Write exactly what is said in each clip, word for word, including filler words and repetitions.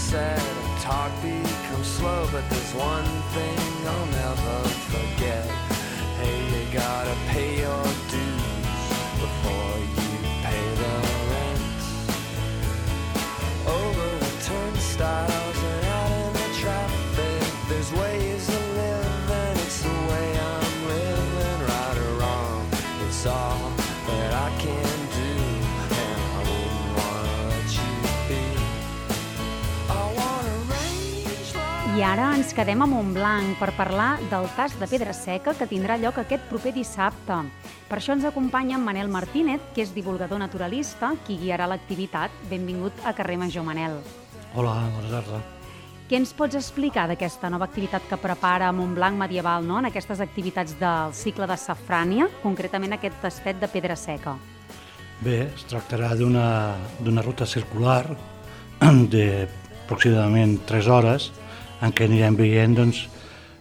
said, talk becomes slow, but there's one thing I'll never forget. Hey, you gotta pay your dues before you pay the rent. Over the turnstiles and out in the traffic, there's ways to live, and it's the way I'm living. Right or wrong, it's all that I can do, and I wouldn't wanna let you be. I wanna range like... I ara ens quedem a Montblanc per parlar del tast de pedra seca que tindrà lloc aquest proper dissabte. Per això ens acompanya en Manel Martínez, que és divulgador naturalista, qui guiarà l'activitat. Benvingut a Carrer Major, Manel. Hola, bona tarda. Què ens pots explicar d'aquesta nova activitat que prepara Montblanc Medieval, no? En aquestes activitats del cicle de Safrània, concretament aquest tastet de pedra seca? Bé, es tractarà d'una d'una ruta circular de aproximadament tres hores en què anirem veient doncs,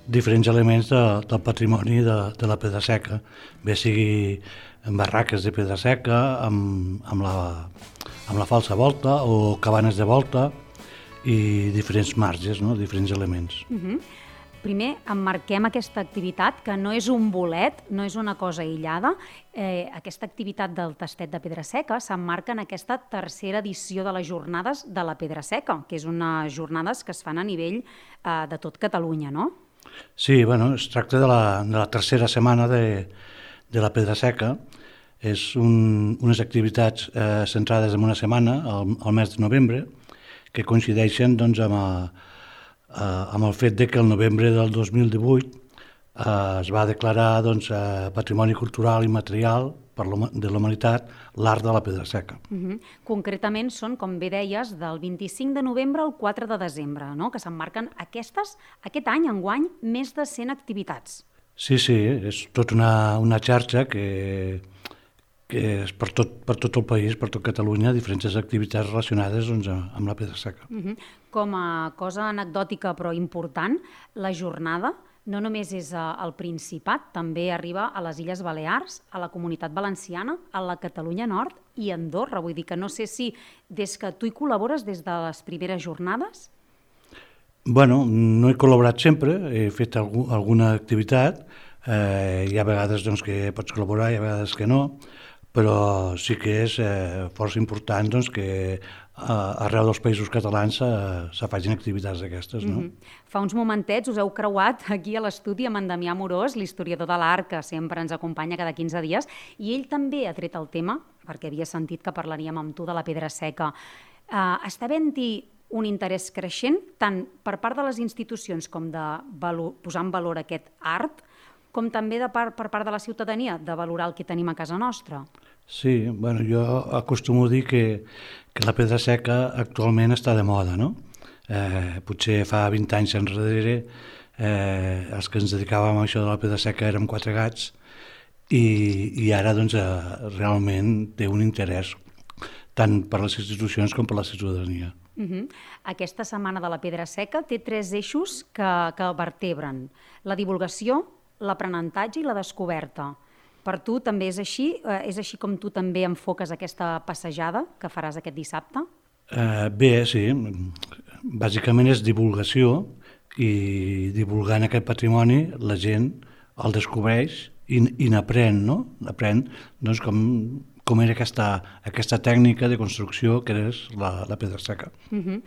diferents elements de, del patrimoni de, de la pedra seca, bé sigui en barraques de pedra seca, amb, amb, la, amb la falsa volta o cabanes de volta i diferents marges, no? Diferents elements. Uh-huh. Primer, emmarquem aquesta activitat, que no és un bolet, no és una cosa aïllada. Eh, aquesta activitat del tastet de pedra seca s'emmarca en aquesta tercera edició de les Jornades de la Pedra Seca, que és unes jornades que es fan a nivell eh, de tot Catalunya, no? Sí, bueno, es tracta de la, de la tercera setmana de, de la pedra seca. És un, unes activitats eh, centrades en una setmana, al, al mes de novembre, que coincideixen doncs, amb, a, a, amb el fet de que el novembre del dos mil divuit eh, es va declarar doncs, eh, Patrimoni Cultural i Material per de la Humanitat l'art de la pedra seca. Uh-huh. Concretament són, com bé deies, del vint-i-cinc de novembre al quatre de desembre, no? Que s'emmarquen aquestes, aquest any, enguany, més de cent activitats. Sí, sí, és tota una, una xarxa que... que és per tot, per tot el país, per tot Catalunya, diferents activitats relacionades doncs, amb la pedra seca. Uh-huh. Com a cosa anecdòtica però important, la jornada no només és al Principat, també arriba a les Illes Balears, a la Comunitat Valenciana, a la Catalunya Nord i a Andorra. Vull dir que no sé si des que tu hi col·labores des de les primeres jornades? Bueno, no he col·laborat sempre, he fet algú, alguna activitat, eh, hi ha vegades doncs, que pots col·laborar, hi ha vegades que no, però sí que és eh, força important doncs, que eh, arreu dels països catalans se, se facin activitats d'aquestes. No? Mm-hmm. Fa uns momentets us heu creuat aquí a l'estudi amb en Damià Morós, l'historiador de l'art, que sempre ens acompanya cada quinze dies, i ell també ha tret el tema, perquè havia sentit que parlaríem amb tu de la pedra seca. Uh, està havent-hi un interès creixent, tant per part de les institucions com de valor, posar en valor aquest art, com també de part, per part de la ciutadania, de valorar el que tenim a casa nostra? Sí, bueno, jo acostumo a dir que, que la pedra seca actualment està de moda, no? Eh, potser fa vint anys enrere eh, els que ens dedicàvem a això de la pedra seca érem quatre gats i, i ara doncs, eh, realment té un interès tant per les institucions com per la ciutadania. Uh-huh. Aquesta setmana de la pedra seca té tres eixos que, que vertebren: la divulgació, l'aprenentatge i la descoberta. Per tu també és així? És així com tu també enfoques aquesta passejada que faràs aquest dissabte? Eh, bé, sí. Bàsicament és divulgació i divulgant aquest patrimoni la gent el descobreix i, i n'aprèn, no? N'aprèn doncs, com, com era aquesta, aquesta tècnica de construcció que és la, la pedra seca. Uh-huh.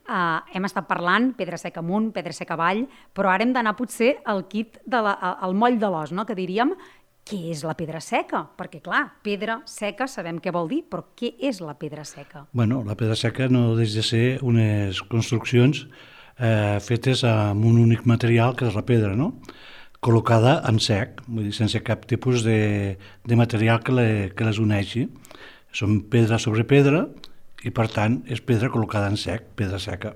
Uh, hem estat parlant pedra seca amunt, pedra seca avall, però ara hem d'anar potser al kit, de la, al moll de l'os, no? Que diríem, què és la pedra seca? Perquè, clar, pedra seca sabem què vol dir, però què és la pedra seca? Bueno, la pedra seca no deixa de ser unes construccions eh, fetes amb un únic material, que és la pedra, no? Col·locada en sec, vull dir, sense cap tipus de, de material que, le, que les uneixi. Són pedra sobre pedra, i per tant és pedra col·locada en sec, pedra seca.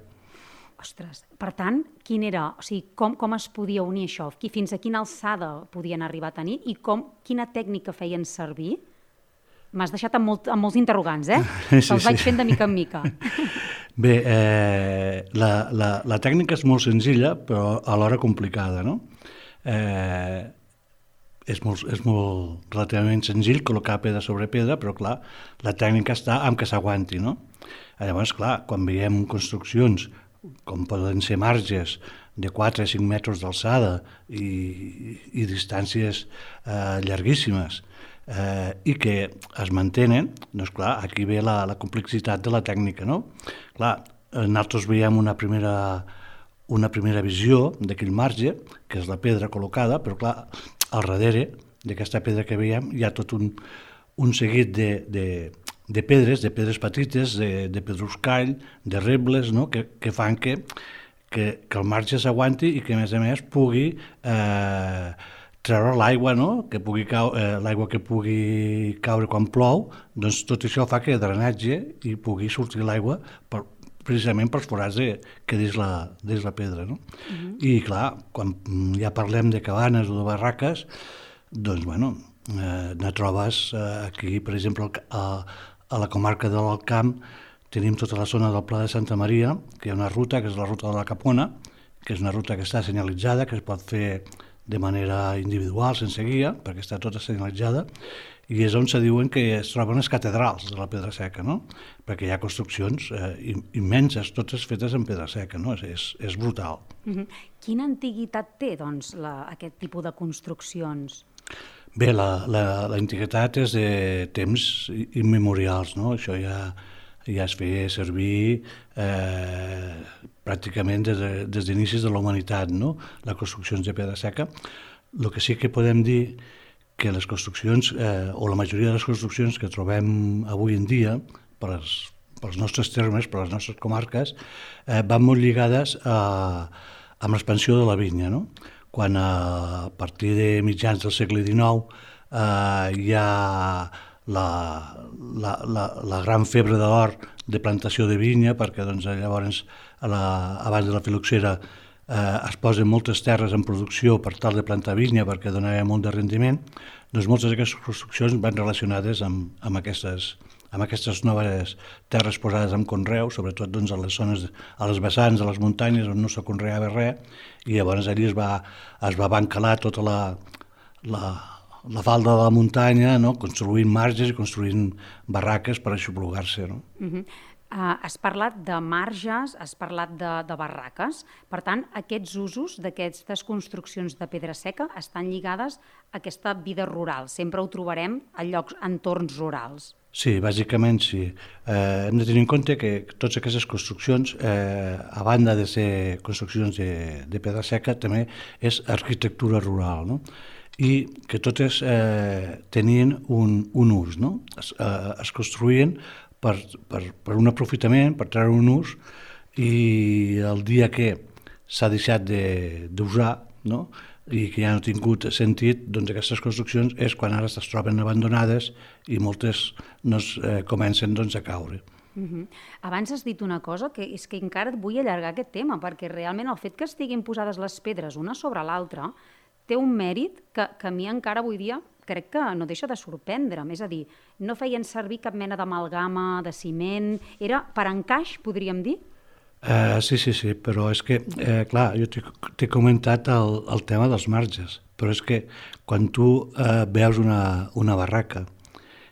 Ostres, per tant, quin era, o sigui, com, com es podia unir això? Fins a quina alçada podien arribar a tenir i com, quina tècnica feien servir? M'has deixat amb, molt, amb molts interrogants, eh? Sí, Se'ls vaig sí. fent de mica en mica. Bé, eh, la, la, la tècnica és molt senzilla, però alhora complicada, no? Eh, és molt, és molt relativament senzill col·locar pedra sobre pedra, però clar, la tècnica està amb que s'aguanti, no? Llavors, clar, quan veiem construccions com poden ser marges de quatre a cinc metres d'alçada i, i distàncies eh, llarguíssimes, eh, i que es mantenen, doncs clar, aquí ve la, la complexitat de la tècnica, no? Clar, nosaltres veiem una primera, una primera visió d'aquell marge, que és la pedra col·locada, però clar, al darrere d'aquesta pedra que veiem hi ha tot un, un seguit de, de, de pedres, de pedres petites, de, de pedruscall, de rebles, no? que, que fan que, que, que el marge s'aguanti i que, a més a més, pugui eh, treure l'aigua, no? que pugui cau, eh, l'aigua que pugui caure quan plou, doncs tot això fa que drenatge i pugui sortir l'aigua per, precisament pels forats de, que dins la, dins la pedra. No? Uh-huh. I clar, quan ja parlem de cabanes o de barraques, doncs, bueno, eh, ne trobes eh, aquí, per exemple, a, a la comarca de l'Alt Camp, tenim tota la zona del Pla de Santa Maria, que hi ha una ruta, que és la ruta de la Capona, que és una ruta que està senyalitzada, que es pot fer de manera individual, sense guia, perquè està tota senyalitzada, i és on se diuen que es troben les catedrals de la pedra seca, no? Perquè hi ha construccions eh, immenses, totes fetes en pedra seca, no? És, és, és brutal. Uh-huh. Quina antiguitat té, doncs, la, aquest tipus de construccions? Bé, la, la, la antiguitat és de temps immemorials, no? Això ja, ja es feia servir eh, pràcticament des, de, des d'inicis de la humanitat, no? Les construccions de pedra seca. El que sí que podem dir que les construccions, eh, o la majoria de les construccions que trobem avui en dia, per als, pels nostres termes, per les nostres comarques, eh, van molt lligades a, amb l'expansió de la vinya, no? Quan a partir de mitjans del segle dinou eh, hi ha la, la, la, la gran febre de l'or de plantació de vinya, perquè doncs, llavors, a la, abans de la filoxera, eh, es posen moltes terres en producció per tal de plantar vinya perquè donava molt de rendiment, doncs moltes d'aquestes construccions van relacionades amb, amb, aquestes, amb aquestes noves terres posades en conreu, sobretot doncs, a les zones, a les vessants, a les muntanyes on no se conreava res, i llavors allí es va, es va bancalar tota la, la, la falda de la muntanya, no? Construint marges i construint barraques per aixoplugar-se. No? Uh-huh. Uh, has parlat de marges, has parlat de, de barraques. Per tant, aquests usos d'aquestes construccions de pedra seca estan lligades a aquesta vida rural. Sempre ho trobarem a llocs, entorns rurals. Sí, bàsicament sí. Eh, hem de tenir en compte que totes aquestes construccions, eh, a banda de ser construccions de, de pedra seca, també és arquitectura rural, no? I que totes eh, tenien un, un ús, no? Es, eh, es construïen per, per, per un aprofitament, per treure un ús, i el dia que s'ha deixat d'usar, no? I que ja no ha tingut sentit, doncs aquestes construccions és quan ara es troben abandonades i moltes doncs, eh, comencen doncs, a caure. Uh-huh. Abans has dit una cosa que és que encara et vull allargar aquest tema, perquè realment el fet que estiguin posades les pedres una sobre l'altra té un mèrit que, que a mi encara avui dia crec que no deixa de sorprendre'm. És a dir, no feien servir cap mena d'amalgama, de ciment, era per encaix, podríem dir? Uh, sí, sí, sí, però és que, eh, clar, jo t'he comentat el, el tema dels marges, però és que quan tu eh, veus una, una barraca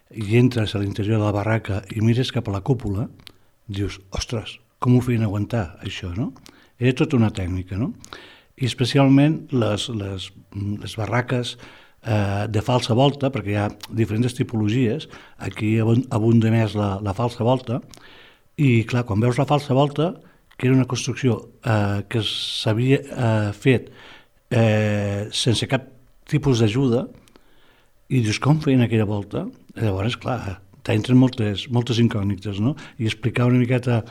i entres a l'interior de la barraca i mires cap a la cúpula, dius, ostres, com ho feien aguantar, això, no? Era tota una tècnica, no? I especialment les, les, les barraques eh, de falsa volta, perquè hi ha diferents tipologies, aquí abunda més la, la falsa volta, i clar, quan veus la falsa volta, que era una construcció eh, que s'havia eh, fet eh, sense cap tipus d'ajuda, i dius, com feien aquella volta? Llavors, clar, t'entren moltes, moltes incògnites, no? I explicar una miqueta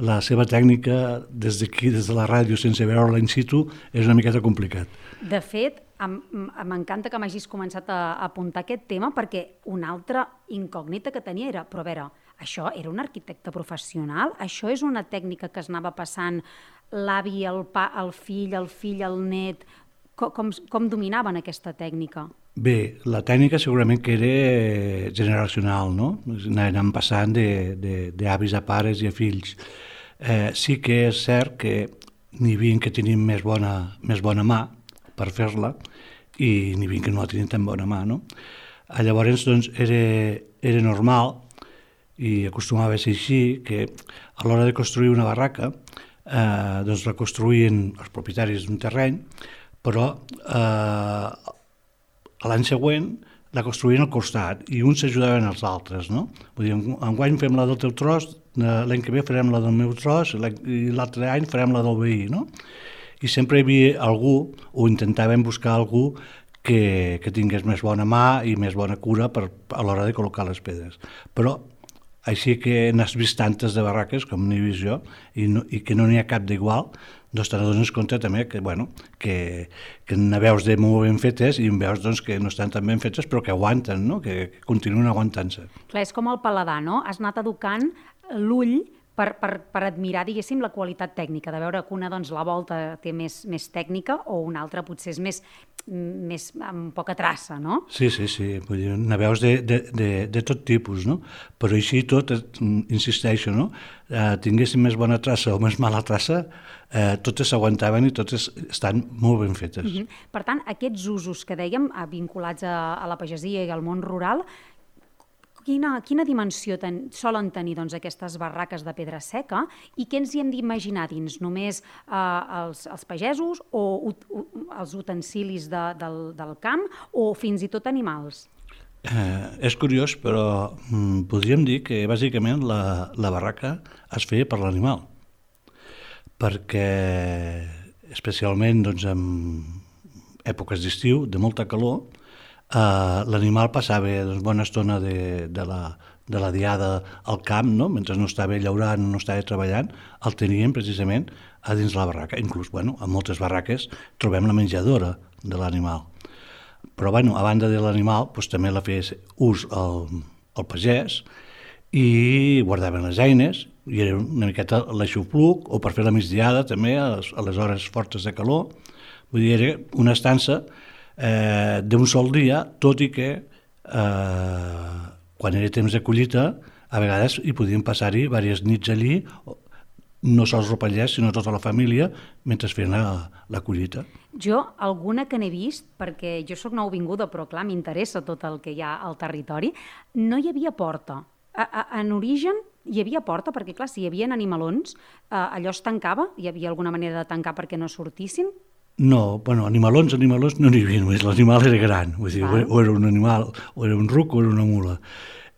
la seva tècnica des d'aquí, des de la ràdio, sense veure-la in situ, és una miqueta complicat. De fet, m'encanta que m'hagis començat a apuntar aquest tema, perquè una altra incògnita que tenia era, però a veure, això era un arquitecte professional? Això és una tècnica que es anava passant l'avi, el, pa, el fill, el fill, el net? Com, com, com dominaven aquesta tècnica? Bé, la tècnica segurament que era generacional, no? Anaven passant d'avis a pares i a fills. Eh, sí que és cert que n'hi havia que tenien més bona, més bona mà per fer-la i n'hi havia que no la tenien tan bona mà, no? Llavors, doncs, era, era normal i acostumava a ser així, que a l'hora de construir una barraca eh, doncs reconstruïen els propietaris d'un terreny, però eh, l'any següent la construïen al costat i uns s'ajudaven als altres, no? Vull dir, enguany fem la del teu tros, l'any que ve farem la del meu tros i l'altre any farem la del veí, no? I sempre hi havia algú, o intentàvem buscar algú que, que tingués més bona mà i més bona cura per, a l'hora de col·locar les pedres. Però així que n'has vist tantes de barraques com n'he vist jo i, no, i que no n'hi ha cap d'igual, doncs te n'adones compte també que, bueno, que, que ne veus de molt ben fetes i en veus doncs, que no estan tan ben fetes però que aguanten, no? que, que continuen aguantant-se. Clar, és com el paladar, no? Has anat educant l'ull per, per, per admirar, diguéssim, la qualitat tècnica, de veure que una, doncs, la volta té més, més tècnica o una altra potser és més, més amb poca traça, no? Sí, sí, sí, vull dir, ne veus de, de, de, de tot tipus, no? Però així tot, insisteixo, no? Eh, tinguessin més bona traça o més mala traça, eh, totes s'aguantaven i totes estan molt ben fetes. Uh-huh. Per tant, aquests usos que dèiem, vinculats a, a la pagesia i al món rural, Quina, quina dimensió ten, solen tenir doncs, aquestes barraques de pedra seca i què ens hi hem d'imaginar dins? Només eh, els, els pagesos o ut, u, els utensilis de, del, del camp o fins i tot animals? Eh, és curiós, però mm, podríem dir que bàsicament la, la barraca es feia per l'animal, perquè especialment doncs, en èpoques d'estiu, de molta calor, Uh, l'animal passava doncs, bona estona de, de, la, de la diada al camp, no? Mentre no estava llaurant, no estava treballant, el tenien precisament a dins la barraca. Inclús, bueno, en moltes barraques trobem la menjadora de l'animal. Però, bueno, a banda de l'animal, doncs, també la feia ús al, al pagès i guardaven les eines, i era una miqueta l'aixopluc, o per fer la migdiada també, a les, a les hores fortes de calor. Vull dir, era una estança Eh, d'un sol dia, tot i que eh, quan era temps de collita a vegades hi podien passar-hi diverses nits allí, no sols el pagès sinó tota la família mentre feien la, la collita. Jo alguna que n'he vist, perquè jo sóc nouvinguda però clar, m'interessa tot el que hi ha al territori, no hi havia porta. A, a, en origen hi havia porta perquè clar, si hi havia animalons eh, allò es tancava, hi havia alguna manera de tancar perquè no sortissin? No, bueno, animalons, animalons no n'hi havia només, l'animal era gran, vull dir, o era un animal, o era un ruc o era una mula.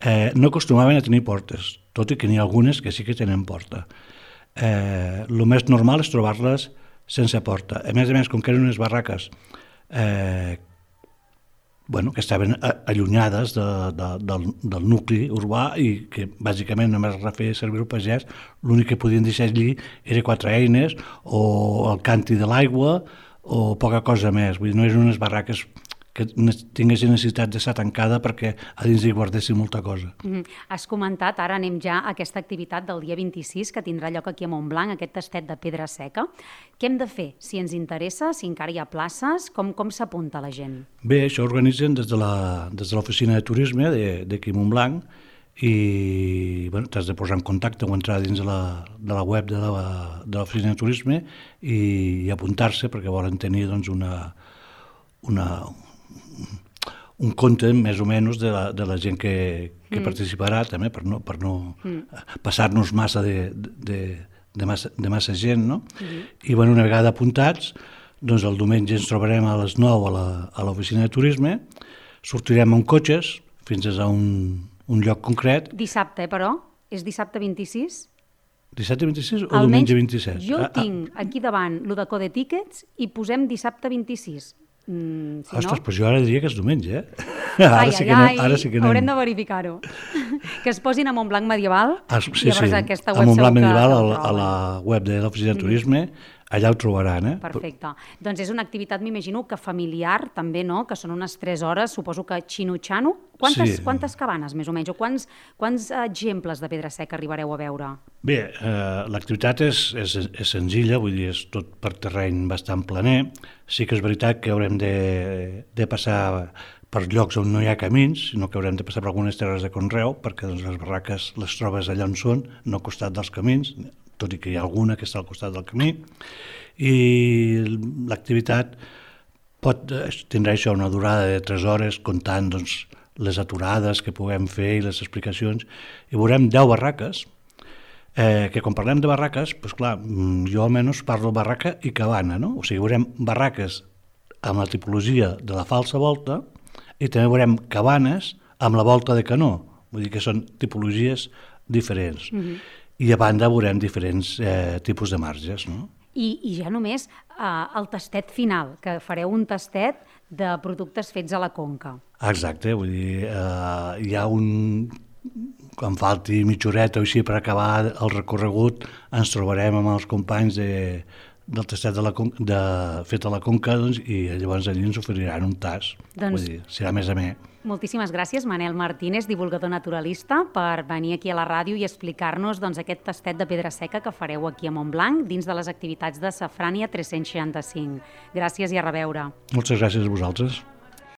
Eh, no acostumaven a tenir portes, tot i que n'hi ha algunes que sí que tenen porta. Eh, el més normal és trobar-les sense porta. A més a més, com que eren unes barraques eh, bueno, que estaven allunyades de, de, del, del nucli urbà i que bàsicament només feia servir el pagès, l'únic que podien deixar allí era quatre eines o el canti de l'aigua o poca cosa més. Vull dir, no eren unes barraques que tinguessin necessitat d'estar tancada perquè a dins hi guardessin molta cosa. Mm-hmm. Has comentat, ara anem ja a aquesta activitat del dia vint-i-sis que tindrà lloc aquí a Montblanc, aquest tastet de pedra seca. Què hem de fer? Si ens interessa, si encara hi ha places, com, com s'apunta la gent? Bé, això organitzen des de l'oficina de turisme d'aquí a Montblanc i bueno, t'has de posar en contacte o entrar dins de la, de la web de l'oficina de turisme i, i apuntar-se perquè volen tenir doncs, una, una, un compte més o menys de la, de la gent que, que mm. participarà també per no, per no mm. passar-nos massa de, de, de, massa, de massa gent, no? Mm. I bueno, una vegada apuntats, doncs el diumenge ens trobarem a les nou a l'oficina de turisme, sortirem amb cotxes fins a un un lloc concret. Dissabte, però? És dissabte vint-i-sis? Dissabte vint-i-sis o Almenys diumenge vint-i-set? Jo ah, tinc ah. aquí davant lo de Code Tickets i posem dissabte vint-i-sis. Mm, si Ostres, no... però jo ara diria que és diumenge, eh? Ara, ai, sí ai, que no, ai, ara sí que anem. Haurem de verificar-ho. Que es posin a Montblanc Medieval ah, sí, i llavors sí. aquesta web a Montblanc Medieval, que... a, a la web de l'oficina de turisme, mm. allà ho trobaran, eh? Perfecte. Doncs és una activitat, m'imagino, que familiar també, no? Que són unes tres hores, suposo que xino-xano. Quantes, sí. quantes cabanes, més o menys? O quants, quants exemples de pedra seca arribareu a veure? Bé, eh, l'activitat és, és, és senzilla, vull dir, és tot per terreny bastant planer. Sí que és veritat que haurem de, de passar per llocs on no hi ha camins, sinó que haurem de passar per algunes terres de conreu, perquè doncs, les barraques les trobes allà on són, no al costat dels camins, tot i que hi ha alguna que està al costat del camí, i l'activitat pot, tindrà això una durada de tres hores, comptant doncs, les aturades que puguem fer i les explicacions, i veurem deu barraques, Eh, que quan parlem de barraques, doncs clar, jo almenys parlo barraca i cabana, no? O sigui, veurem barraques amb la tipologia de la falsa volta i també veurem cabanes amb la volta de canó, vull dir que són tipologies diferents. Mm-hmm. I a banda veurem diferents eh, tipus de marges, no? I, i ja només eh, el tastet final, que fareu un tastet de productes fets a la Conca. Exacte, vull dir, eh, hi ha un... Quan falti mitja horeta o així per acabar el recorregut, ens trobarem amb els companys de, del tastet de la, de, fet a la Conca, doncs, i llavors allí ens oferiran un tas. Doncs, vull dir, serà més a més. Moltíssimes gràcies, Manel Martínez, divulgador naturalista, per venir aquí a la ràdio i explicar-nos doncs, aquest tastet de pedra seca que fareu aquí a Montblanc dins de les activitats de Safrània tres-cents seixanta-cinc. Gràcies i a reveure. Moltes gràcies a vosaltres.